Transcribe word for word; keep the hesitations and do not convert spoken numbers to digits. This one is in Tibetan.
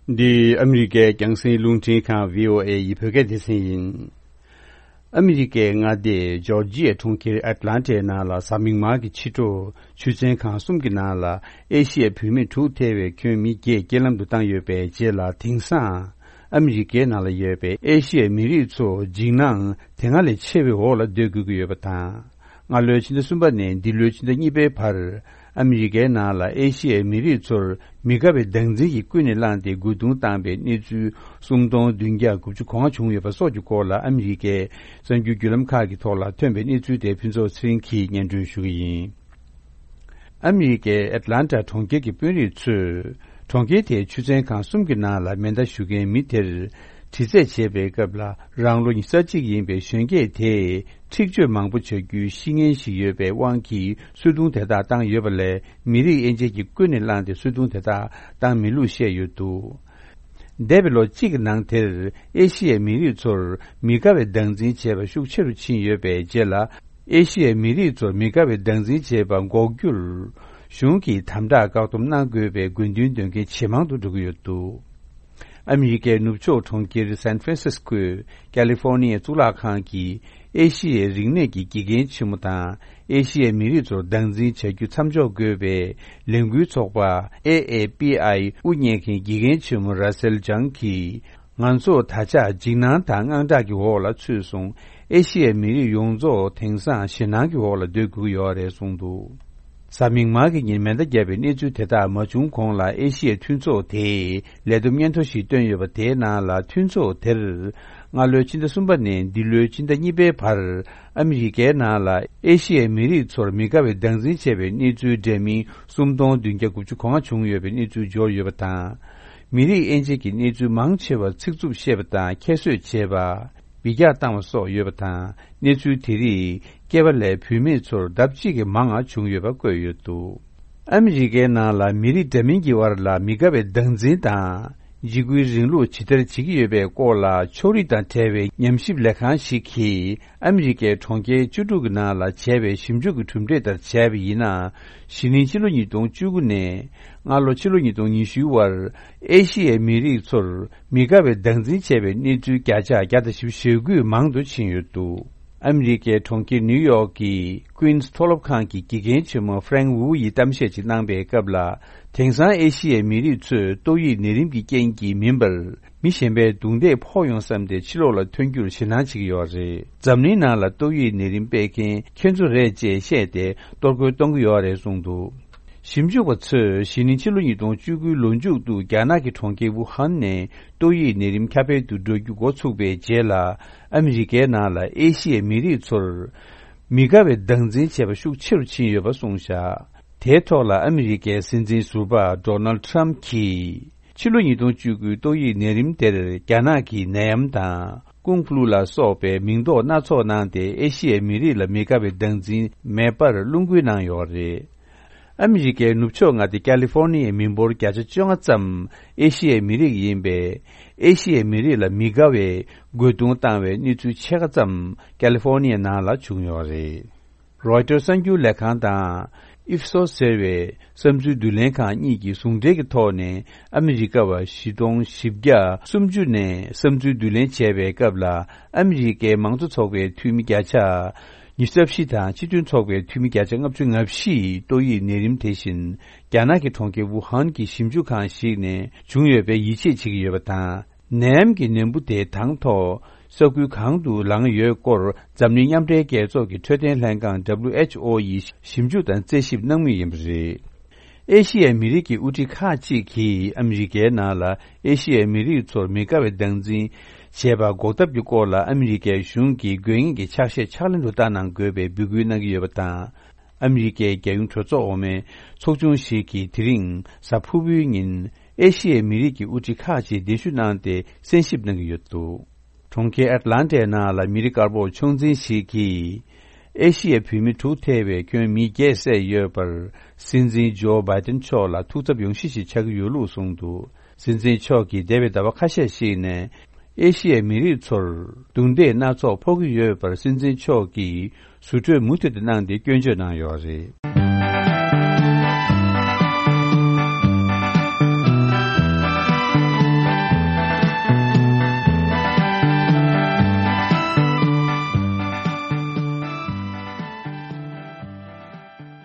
འདི་ཨ་མི་རི་ཀའི་རྒྱང་སྲིང་རླུང་འཕྲིན་ཁང་བྷི་ཨོ་ཨེ་ཡི་བོད་སྐད་སྡེ་ཚན་ཡིན། ཨ་མི་རི་ཀའི་མངའ་སྡེ་ཇོར་ཇི་ཡའི་གྲོང་ཁྱེར་ཨེཊ་ལན་ཊའི་ནང་ལ་གཟའ་མིག་དམར་གྱི་ཕྱི་དྲོ་ཆུ་ཚན་ཁང་གསུམ་གྱི་ནང་ལ་ཨེ་ཤི་ཡའི་བུད་མེད་དྲུག་ཐེ་བའི་ཁྱོན་མི་བརྒྱད་རྐྱེན་ལམ་དུ་བཏང་ཡོད་པའི་རྗེས་ལ། དེང་སང་ཨ་མི་རི་ཀའི་ནང་ལ་ཡོད་པའི་ཨེ་ཤི་ཡའི་མི་རིགས་ཚོ་འཇིགས་སྣང་དེ་སྔ་ལས་ཆེ་བའི་འོག་ལ་སྡོད་དགོས་ཀྱི་ཡོད་པ་དང་། སྔ་ལོའི་ཕྱི་ཟླ་གསུམ་པ་ནས་འདི་ལོའི་ཕྱི་ཟླ་གཉིས་པའི་བར། ཨ་མི་རི་ཀའི་ནང་ལ་ཨེ་ཤི་ཡའི་མི་རིགས་ཚོར་མི་དགའ་བའི་སྡང་འཛིན་གྱིས་ཀུན་ནས་བསླངས་ཏེ་རྒོལ་རྡུང་བཏང་པའི་གནས་ཚུལ་སུམ་སྟོང་བདུན་བརྒྱ་དགུ་བཅུ་གོ་ལྔ་བྱུང་ཡོད་པ་སོགས་ཀྱི་སྐོར་ལ། ཨ་མི་རི་ཀའི་གསར་འགྱུར་བརྒྱུད་ལམ་ཁག་གི་ཐོག་ལ་ཐོན་པའི་གནས་ཚུལ་དེ་ཕུན་ཚོགས་ཚེ་རིང་གིས་སྙན་སྒྲོན་ཞུ་གི་ཡིན། ཨ་མི་རི་ཀའི་ཨེཊ་ལན་ཊ་གྲོང་ཁྱེར་གྱི་དཔོན་རིགས་ཚོས་གྲོང་ཁྱེར་དེའི་ཆུ་ཚན་ཁང་གསུམ་གྱི་ནང་ལ་མེ་མདའ་གཞུ་མཁན་མི་དེར་དྲི་རྩད་བྱེད་པའི་སྐབས་ལ། རང་ལོ་ཉི་ཤུ་རྩ་གཅིག་ཡིན་པའི་གཞོན་སྐྱེས་དེས་འཁྲིག་སྤྱོད་མང་པོ་བྱ་རྒྱུའི་གཤིས་ངན་ཞིག་ཡོད་པའི་དབང་གིས་གསོད་རྡུང་དེ་དག་བཏང་ཡོད་པ་ལས། མི་རིགས་དབྱེ་འབྱེད་ཀྱིས་ཀུན་ནས་བསླངས་ཏེ་གསོད་རྡུང་དེ་དག་བཏང་མེད་ལུགས་བཤད་ཡོད་འདུག། འདས་པའི་ལོ་གཅིག་གི་ནང་དེར་ཨེ་ཤི་ཡའི་མི་རིགས་ཚོར་མི་དགའ་བའི་སྡང་འཛིན་བྱས་པ་ཤུགས་ཆེ་རུ་ཕྱིན་ཡོད་པའི་རྗེས་ལ། ཨེ་ཤི་ཡའི་མི་རིགས་ཚོར་མི་དགའ་བའི་སྡང་འཛིན་བྱས་པ་འགོག་རྒྱུར་གཞུང་གིས་དམ་དྲག་བཀག་སྡོམ་གནང་དགོས་པའི་དགོས་འདུན་འདོན་མཁན་ཇེ་མང་དུ་འགྲོ་གི་ཡོད་འདུག། ཨ་མི་རི་ཀའི་ནུབ་ཕྱོགས་གྲོང་ཁྱེར་སན་ཧྥ་རན་སིས་ཀོའི་ཀ་ལི་ཧྥོར་ནི་ཡའི་གཙུག་ལག་ཁང་གི་ཨེ་ཤི་ཡའི་རིག་གནས་ཀྱི་དགེ་རྒན་ཆེན་མོ་དང་། ཨེ་ཤི་ཡའི་མི་རིགས་ཚོར་སྡང་འཛིན་བྱ་རྒྱུ་མཚམས་འཇོག་དགོས་པའི་ལས་འགུལ་ཚོགས་པ་ཨེ་ཨེ་པི་ཨའི་དབུ་བརྙེས་མཁན་དགེ་རྒན་ཆེན་མོ་ར་སེལ་ཇང་གིས། ང་ཚོ་ད་ཆ་འཇིགས་སྣང་དང་དངངས་སྐྲག་གི་འོག་ལ་ཚུད་སོང་། ཨེ་ཤི་ཡའི་མི་རིགས་ཡོངས་རྫོགས་དེང་སང་ཞེད་སྣང་གི་འོག་ལ་སྡོད་དགོས་ཀྱི་ཡོད་རེད་གསུངས་འདུག། གཟའ་མིག་དམར་གྱི་ཉིན་མེ་མདའ་བརྒྱབ་པའི་གནས་ཚུལ་དེ་དག་མ་བྱུང་གོང་ལ། ཨེ་ཤི་ཡའི་མཐུན་ཚོགས་དེས་ལས་བསྡོམས་སྙན་ཐོ་ཞིག་བཏོན་ཡོད་པ་དེའི་ནང་ལ། མཐུན་ཚོགས་དེར་སྔ་ལོའི་ཕྱི་ཟླ་གསུམ་པ་ནས་འདི་ལོའི་ཕྱི་ཟླ་གཉིས་པའི་བར། ཨ་མི་རི་ཀའི་ནང་ལ་ཨེ་ཤི་ཡའི་མི་རིགས་ཚོར་མི་དགའ་བའི་སྡང་འཛིན་བྱས་པའི་གནས་ཚུལ་འདྲ་མིན་སུམ་སྟོང་བདུན་བརྒྱ་དགུ་བཅུ་གོ་ལྔ་བྱུང་ཡོད་པའི་གནས་ཚུལ་འབྱོར་ཡོད་པ་དང་། མི་རིགས་དབྱེ་འབྱེད་ཀྱི་གནས་ཚུལ་མང་ཆེ་བར་ཚིག་རྩུབ་བཤད་པ་དང་ཁྱད་གསོད་བྱས་པ། འབུད་རྒྱག་བཏང་བ་སོགས་ཡོད་པ་དང་། གནས་ཚུལ་དེ་རིགས་སྐྱེས་པ་ལས་བུད་མེད་ཚོར་ལྡབ་གཅིག་གིས་མང་བ་བྱུང་ཡོད་པ་བཀོད་ཡོད་འདུག། ཨ་མི་རི་ཀའི་ནང་ལ་མི་རིགས་འདྲ་མིན་གྱི་བར་ལ་མི་དགའ་བའི་སྡང་འཛིན་དང་། འཇིགས་སྐུལ་རིང་ལུགས་ཇི་ལྟར་བྱེད་ཀྱི་ཡོད་པའི་སྐོར་ལ་ཕྱོགས་རིས་དང་བྲལ་བའི་ཉམས་ཞིབ་ལས་ཁང་ཞིག་གིས། ཨ་མི་རི་ཀའི་གྲོང་ཁྱེར་བཅུ་དྲུག་གི་ནང་ལ་བྱས་པའི་ཞིབ་འཇུག་གི་གྲུབ་འབྲས་ལྟར་བྱས་པ་ཡིན་ན། གཞེས་ནིང་ཕྱི་ལོ་ཉིས་སྟོང་བཅུ་དགུ་ནས་སྔ་ལོ་ཕྱི་ལོ་ཉིས་སྟོང་ཉི་ཤུའི་བར། ཨེ་ཤི་ཡའི་མི་རིགས་ཚོར་མི་དགའ་བའི་སྡང་འཛིན་བྱས་པའི་གནས་ཚུལ་བརྒྱ་ཆ་བརྒྱ་དང་བཞི་བཅུ་ཞེ་དགུས་མང་དུ་ཕྱིན་ཡོད་འདུག། ཨ་མི་རི་ཀའི་གྲོང་ཁྱེར་ནིའུ་ཡོག་གི་ཀུན་སི་མཐོ་སློབ་ཁང་གི་དགེ་རྒན་ཆེན་མོ་ཧྥ་རེང་ཝུ་ཡིས་གཏམ་བཤད་ཅིག་གནང་པའི་སྐབས་ལ། དེང་སང་ཨེ་ཤི་ཡའི་མི་རིགས་ཚོས་ཏོག་དབྱིབས་ནད་རིམས་ཀྱི་རྐྱེན་གྱིས་མིན་པར། མི་གཞན་པའི་རྡུང་རྡེག་ཕོག་ཡོང་བསམ་སྟེ་ཕྱི་ལོགས་ལ་ཐོན་རྒྱུར་ཞེད་སྣང་བྱེད་ཀྱི་ཡོད་རེད། འཛམ་གླིང་ནང་ལ་ཏོག་དབྱིབས་ནད་རིམས་སྤེལ་མཁན་ཁྱེད་ཚོ་རེད་ཅེས་བཤད་དེ་གཏོར་རྒོལ་གཏོང་གི་ཡོད་རེད་གསུངས་འདུག། ཞིབ་འཇུག་པ་ཚོས་གཞེས་ནིང་ཕྱི་ལོ་ཉིས་སྟོང་བཅུ་དགུའི་ལོ་མཇུག་ཏུ་རྒྱ་ནག་གི་གྲོང་ཁྱེར་ཝུ་ཧན་ནས་ཏོག་དབྱིབས་ནད་རིམས་ཁྱབ་སྤེལ་དུ་འགྲོ་རྒྱུ་འགོ་ཚུགས་པའི་རྗེས་ལ། ཨ་མི་རི་ཀའི་ནང་ལ་ཨེ་ཤི་ཡའི་མི་རིགས་ཚོར་མི་དགའ་བའི་སྡང་འཛིན་བྱས་པ་ཤུགས་ཆེ་རུ་ཕྱིན་ཡོད་པ་གསུངས་བཞག། དེའི་ཐོག་ལ་ཨ་མི་རི་ཀའི་སྲིད་འཛིན་ཟུར་པ་ཌོ་ནལ་ཊམ་གྱིས། ཕྱི་ལོ་ཉིས་སྟོང་བཅུ་དགུའི་ཏོག་དབྱིབས་ནད་རིམས་དེར་རྒྱ་ནག་གི་ནད་ཡམས་དང་ཀུང་ཧྥུ་ལུ་ལ་སོགས་པའི་མིང་འདོགས་སྣ་ཚོགས་གནང་སྟེ། ཨེ་ཤི་ཡའི་མི་རིགས་ལ་མི་དགའ་བའི་སྡང་འཛིན་མེད་པར་རླུང་འགུལ་གནང་ཡོད་རེད། ཨ་མི་རི་ཀའི་ནུབ་ཕྱོགས་མངའ་སྡེ་ཀ་ལི་ཧྥོར་ནི་ཡའི་མི་འབོར་བརྒྱ་ཆ་བཅོ་ལྔ་ཙམ་ཨེ་ཤི་ཡའི་མི་རིགས་ཡིན་པས། ཨེ་ཤི་ཡའི་མི་རིགས་ལ་མི་དགའ་བའི་རྒོལ་རྡུང་བཏང་བའི་གནས་ཚུལ་ཕྱེད་ཀ་ཙམ་ཀ་ལི་ཧྥོར་ནི་ཡའི་ནང་ལ་བྱུང་ཡོད་རེད། རོའི་ཊར་གསར་འགྱུར་ལས་ཁང་དང་། ཨིབ་སོ་ཟེར་བའི་བསམ་ཚུལ་བསྡུ་ལེན་ཁང་གཉིས་ཀྱིས་ཟུང་འབྲེལ་གྱི་ཐོག་ནས། ཨ་མི་རི་ཀ་བ་བཞི་སྟོང་བཞི་བརྒྱ་སུམ་ཅུ་ནས་བསམ་ཚུལ་བསྡུ་ལེན་བྱས་པའི་སྐབས་ལ། ཨ་མི་རི་ཀའི་མང་གཙོ་ཚོགས་པའི་འཐུས་མི་བརྒྱ་ཆ་ཉི་ཤུ་རྩ་བཞི་དང་། སྤྱི་མཐུན་ཚོགས་པའི་འཐུས་མི་བརྒྱ་ཆ་ལྔ་བཅུ་ང་བཞི་ཡིས་ཏོག་དབྱིབས་ནད་རིམས་དེ་བཞིན་རྒྱ་ནག་གི་གྲོང་ཁྱེར་ཝུ་ཧན་གྱི་ཞིབ་འཇུག་ཁང་ཞིག་ནས་བྱུང་ཡོད་པའི་ཡིད་ཆེས་བྱེད་ཀྱི་ཡོད་པ་དང་། ནད་ཡམས་ཀྱི་ནད་འབུ་དེ་དང་ཐོག་ས་ཁུལ་གང་དུ་ལངས་ཡོད་སྐོར། འཛམ་གླིང་མཉམ་འབྲེལ་རྒྱལ་ཚོགས་ཀྱི་འཕྲོད་བསྟེན་ལྷན་ཁང་། W H O ཡིས་ཞིབ་འཇུག་དང་རྩད་ཞིབ་གནང་མུས་ཡིན་པ་རེད། ཨེ་ཤི་ཡའི་མི་རིགས་ཀྱི་དབུ་ཁྲིད་ཁག་ཅིག་གིས་ཨ་མི་རི་ཀའི་ནང་ལ་ཨེ་ཤི་ཡའི་མི་རིགས་ཚོར་མི་དགའ་བའི་སྡང་འཛིན་བྱས་པ་འགོག་ཐབས་ཀྱི་སྐོར་ལ། ཨ་མི་རི་ཀའི་གཞུང་གིས་དགོས་ངེས་ཀྱི་ཕྱག་བཞེས་ཕྱག་ལེན་དུ་བསྟར་གནང་དགོས་པའི་འབོད་སྐུལ་གནང་གི་ཡོད་པ་དང་། ཨ་མི་རི་ཀའི་རྒྱལ་ཡོངས་གྲོས་ཚོགས་འོག་མའི་ཚོགས་ཆུང་ཞིག་གིས་དེ་རིང་གཟའ་ཕུར་བུའི་ཉིན། ཨེ་ཤི་ཡའི་མི་རིགས་ཀྱི་དབུ་ཁྲིད་ཁག་ཅིག་གདན་ཞུ་གནང་སྟེ་གསན་ཞིབ་གནང་གི་ཡོད་འདུག། གྲོང་ཁྱེར་ཨེཊ་ལན་ཊའི་ནང་ལ་མི་རིགས་དཀར་པོ་ཕྱོགས་འཛིན་ཞིག་གིས། ཨེ་ཤི་ཡའི་བུད་མེད་དྲུག་ཐེ་བའི་ཁྱོན་མི་བརྒྱད་བསད་ཡོད་པར། སྲིད་འཛིན་ཇོ་བྷའི་ཏིན་མཆོག་ལ་ཐུགས་འཚབ་ཡོང་གཞི་ཞིག་ཆགས་ཀྱི་ཡོད་ལུགས་གསུངས་འདུག། སྲིད་འཛིན་མཆོག་གིས་འདས་པའི་ཟླ་བ་ཁ་ཤས་ཤིག་ནས། ཨེ་ཤི་ཡའི་མི་རིགས་ཚོར་རྡུང་རྡེག་སྣ་ཚོགས་ཕོག་གི་ཡོད་པར། སྲིད་འཛིན་མཆོག་གིས་ཟུར་གྲོས་མུ་མཐུད་དུ་གནང་སྟེ་སྐྱོན་བརྗོད་གནང་ཡོད་རེད།